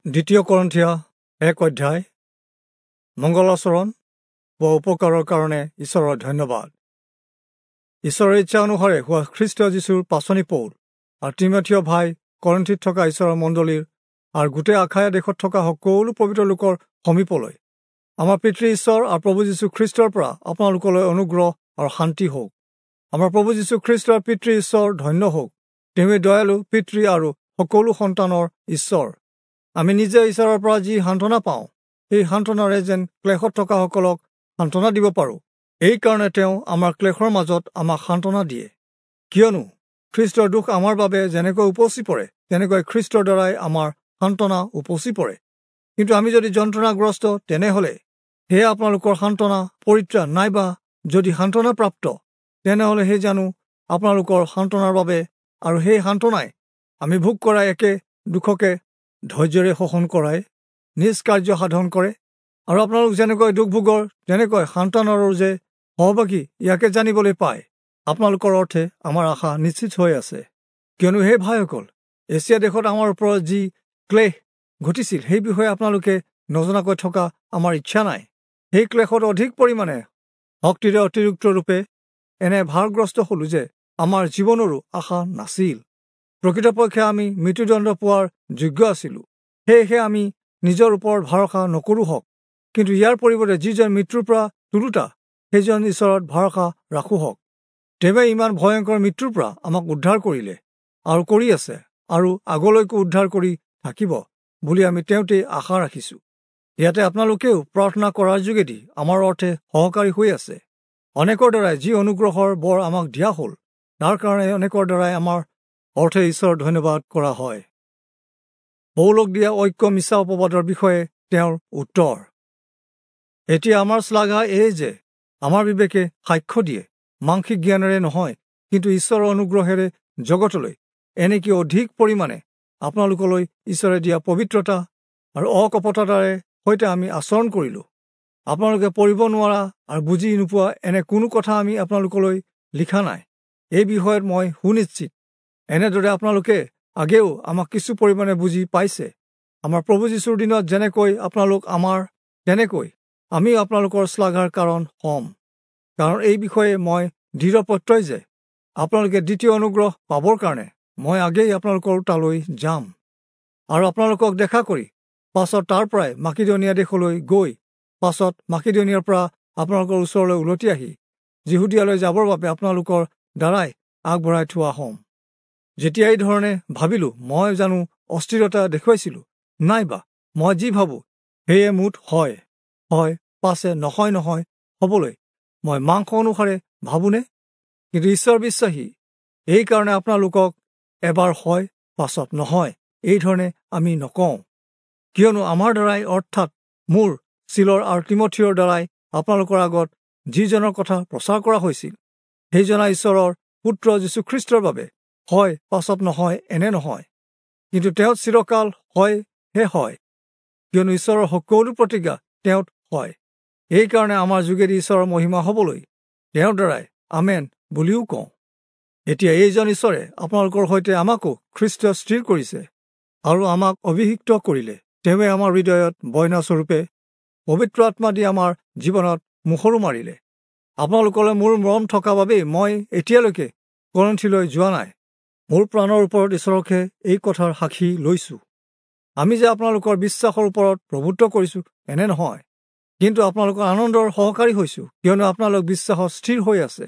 দ্বিতীয় কৰন্থীয়া 1 অধ্যায়। মংগলাচৰণ বা উপকাৰৰ কাৰণে ঈশ্বৰৰ ধন্যবাদ। ঈশ্বৰৰ ইচ্ছা অনুসাৰে হোৱা খ্ৰীষ্ট যীশুৰ পাঁচনি পৌল আৰু তীমথিয় ভাই কৰন্থীত থকা ঈশ্বৰৰ মণ্ডলীৰ আৰু গোটেই আখায়া দেশত থকা সকলো পবিত্ৰ লোকৰ সমীপলৈ আমাৰ পিতৃ ঈশ্বৰ আৰু প্ৰভু যীশু খ্ৰীষ্টৰ পৰা আপোনালোকলৈ অনুগ্ৰহ আৰু শান্তি হওক। আমাৰ প্ৰভু যীশু খ্ৰীষ্টৰ পিতৃ ঈশ্বৰ ধন্য হওক। তেওঁৱেই দয়ালু পিতৃ আৰু সকলো সন্তানৰ ঈশ্বৰ। আমি নিজে ঈশ্বৰৰ পৰা যি সান্তনা পাওঁ, সেই সান্তনাৰে যেন ক্লেশত থকাসকলক সান্তনা দিব পাৰোঁ। এইকাৰণে তেওঁ আমাৰ ক্লেশৰ মাজত আমাক সান্তনা দিয়ে। কিয়নো খ্ৰীষ্টৰ দুখ আমাৰ বাবে যেনেকৈ উপচি পৰে, তেনেকৈ খ্ৰীষ্টৰ দ্বাৰাই আমাৰ সান্তনা উপচি পৰে। কিন্তু আমি যদি যন্ত্ৰণাগ্ৰস্ত, তেনেহ'লে সেয়া আপোনালোকৰ সান্তনা পৰিত্ৰাণ, নাইবা যদি সান্তনা প্ৰাপ্ত, তেনেহ'লে সেই জানো আপোনালোকৰ সান্তনাৰ বাবে, আৰু সেই সান্তনাই আমি ভোগ কৰা একে দুখকে ধৈৰ্যৰে শোষণ কৰাই নিজ কাৰ্য সাধন কৰে। আৰু আপোনালোক যেনেকৈ দুখ ভোগৰ, তেনেকৈ সান্তনাৰো যে সহভাগী, ইয়াকে জানিবলৈ পায় আপোনালোকৰ অৰ্থে আমাৰ আশা নিশ্চিত হৈ আছে। কিয়নো হে ভাইসকল, এছিয়া দেশত আমাৰ ওপৰত যি ক্লেশ ঘটিছিল, সেই বিষয়ে আপোনালোকে নজনাকৈ থকা আমাৰ ইচ্ছা নাই। সেই ক্লেশত অধিক পৰিমাণে শক্তিৰে অতিৰিক্ত ৰূপে এনে ভাৰগ্ৰস্ত হলোঁ যে আমাৰ জীৱনৰো আশা নাছিল। প্ৰকৃতপক্ষে আমি মৃত্যুদণ্ড পোৱাৰ যোগ্য আছিলোঁ। সেয়েহে আমি নিজৰ ওপৰত ভৰসা নকৰোঁ হওক, কিন্তু ইয়াৰ পৰিৱৰ্তে যিজন মৃত্যুৰ পৰা তোলোতা, সেইজন ঈশ্বৰত ভৰসা ৰাখোঁ হওক। তেওঁৱে ইমান ভয়ংকৰ মৃত্যুৰ পৰা আমাক উদ্ধাৰ কৰিলে আৰু কৰি আছে আৰু আগলৈকো উদ্ধাৰ কৰি থাকিব বুলি আমি তেওঁতেই আশা ৰাখিছোঁ। ইয়াতে আপোনালোকেও প্ৰাৰ্থনা কৰাৰ যোগেদি আমাৰ অৰ্থে সহকাৰী হৈ আছে। অনেকৰ দ্বাৰাই যি অনুগ্ৰহৰ বৰ আমাক দিয়া হ'ল, তাৰ কাৰণে অনেকৰ দ্বাৰাই আমাৰ অৰ্থে ঈশ্বৰৰ ধন্যবাদ কৰা হয়। পৌলক দিয়া ঐক্য মিছা অপবাদৰ বিষয়ে তেওঁৰ উত্তৰ। এতিয়া আমাৰ শ্লাঘা এই যে আমাৰ বিবেকে সাক্ষ্য দিয়ে, মাংসিক জ্ঞানেৰে নহয়, কিন্তু ঈশ্বৰৰ অনুগ্ৰহেৰে জগতলৈ, এনেকি অধিক পৰিমাণে আপোনালোকলৈ ঈশ্বৰে দিয়া পবিত্ৰতা আৰু অকপটতাৰে সৈতে আমি আচৰণ কৰিলোঁ। আপোনালোকে পঢ়িব নোৱাৰা আৰু বুজি নোপোৱা এনে কোনো কথা আমি আপোনালোকলৈ লিখা নাই। এই বিষয়ত মই সুনিশ্চিত। এনেদৰে আপোনালোকে আগেও আমাক কিছু পৰিমাণে বুজি পাইছে। আমাৰ প্ৰভু যীশুৰ দিনত যেনেকৈ আপোনালোক আমাৰ, তেনেকৈ আমিও আপোনালোকৰ শ্লাঘাৰ কাৰণ হ'ম। কাৰণ এই বিষয়ে মই দৃঢ় প্ৰত্যয় যে আপোনালোকে দ্বিতীয় অনুগ্ৰহ পাবৰ কাৰণে মই আগেই আপোনালোকৰ তালৈ যাম আৰু আপোনালোকক দেখা কৰি পাছত তাৰ পৰাই মাকিদনীয়া দেশলৈ গৈ পাছত মাকিদনীয়াৰ পৰা আপোনালোকৰ ওচৰলৈ উলটি আহি যিহুদীয়ালৈ যাবৰ বাবে আপোনালোকৰ দ্বাৰাই আগবঢ়াই থোৱা হ'ম। যেতিয়া এই ধৰণে ভাবিলোঁ, মই জানো অস্থিৰতা দেখুৱাইছিলোঁ? নাইবা মই যি ভাবোঁ সেয়ে মুঠ হয় হয়, পাছে নহয় নহয় হ'বলৈ মই মাংস অনুসাৰে ভাবোনে? কিন্তু ঈশ্বৰ বিশ্বাসী, এইকাৰণে আপোনালোকক এবাৰ হয় পাছত নহয় এই ধৰণে আমি নকওঁ। কিয়নো আমাৰ দ্বাৰাই, অৰ্থাৎ মোৰ, চিলৰ আৰু তীমথিয়ৰ দ্বাৰাই আপোনালোকৰ আগত যিজনৰ কথা প্ৰচাৰ কৰা হৈছিল, সেইজনা ঈশ্বৰৰ পুত্ৰ যীশুখ্ৰীষ্টৰ বাবে হয় পাছত নহয় এনে নহয়, কিন্তু তেওঁত চিৰকাল হয় হে হয়। কিয়নো ঈশ্বৰৰ সকলো প্ৰতিজ্ঞা তেওঁত হয়। এইকাৰণে আমাৰ যোগেদি ঈশ্বৰৰ মহিমা হ'বলৈ তেওঁৰ দ্বাৰাই আমেন বুলিও কওঁ। এতিয়া এইজন ঈশ্বৰে আপোনালোকৰ সৈতে আমাকো খ্ৰীষ্ট স্থিৰ কৰিছে আৰু আমাক অভিষিক্ত কৰিলে। তেওঁৱে আমাৰ হৃদয়ত বয়নাস্বৰূপে পবিত্ৰ আত্মা দি আমাৰ জীৱনত মোহৰো মাৰিলে। আপোনালোকলৈ মোৰ মৰম থকা বাবেই মই এতিয়ালৈকে কৰন্থীলৈ যোৱা নাই। মোৰ প্ৰাণৰ ওপৰত ঈশ্বৰকহে এই কথাৰ সাক্ষী লৈছোঁ। আমি যে আপোনালোকৰ বিশ্বাসৰ ওপৰত প্ৰভুত্ব কৰিছোঁ এনে নহয়, কিন্তু আপোনালোকৰ আনন্দৰ সহকাৰী হৈছোঁ, কিয়নো আপোনালোক বিশ্বাসত স্থিৰ হৈ আছে।